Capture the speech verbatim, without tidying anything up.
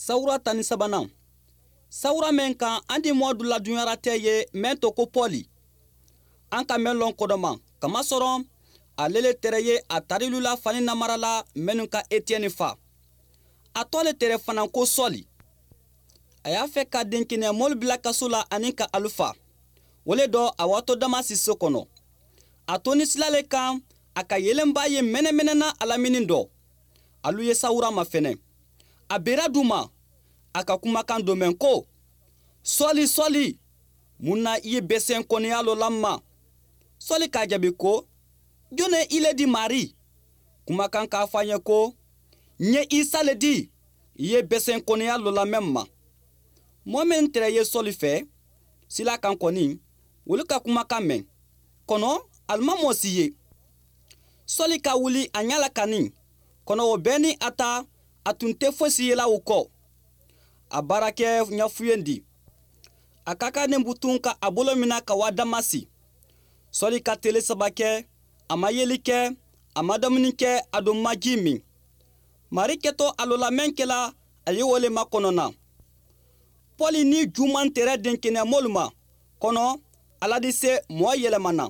Sawura tan ni sabanaŋ. Sawura meŋ kaŋ an di moo dula duɲaratee ye meŋ to ko poli. An ka meŋ loŋ kodoma kamasoroŋ, ale le tere ye a tarilula fani namara la mennu ka etiyeni fa. A to le tere fanaŋ ko soli. A ye a fe ka denkeneya moolu bila kasu la aniŋ ka alu fa. Wo le do a waato damasi so kono. A to ni sila le kaŋ a ka yelenbaa ye menemene na a laminiŋ do. Alu ye sawura ma fene. A bera duma a ka kumakaŋ domeŋ ko, soli soli, muŋ na i ye beseŋ koneya lo la ma? Soli ka a jabi ko, jone i le di maari? Kumakaŋ ka a fo a ye ko, ŋ ye isa le di i ye beseŋ koneya lo la meŋ ma. Moo meŋ tere ye soli fe sila kaŋ koni, wolu ka kumakaŋ meŋ kono, ali maŋ moo si ye. Soli ka wuli a ña la kaniŋ kono wo bee niŋ a ta, a tuŋ te fosi ye la wo ko. A baara ke ñafuyendi. A ka ka nembutuŋ ka a bolo mina ka waa damasi. Soli ka tele saba ke, a maŋ yeli ke, a maŋ damuni ke, aduŋ maŋ jii miŋ. Maari keto a lo la meŋ ke la, a ye wo le makono naŋ. Poli niŋ juu maŋ tere denkeneya moolu ma kono, alla di se moo yelema naŋ.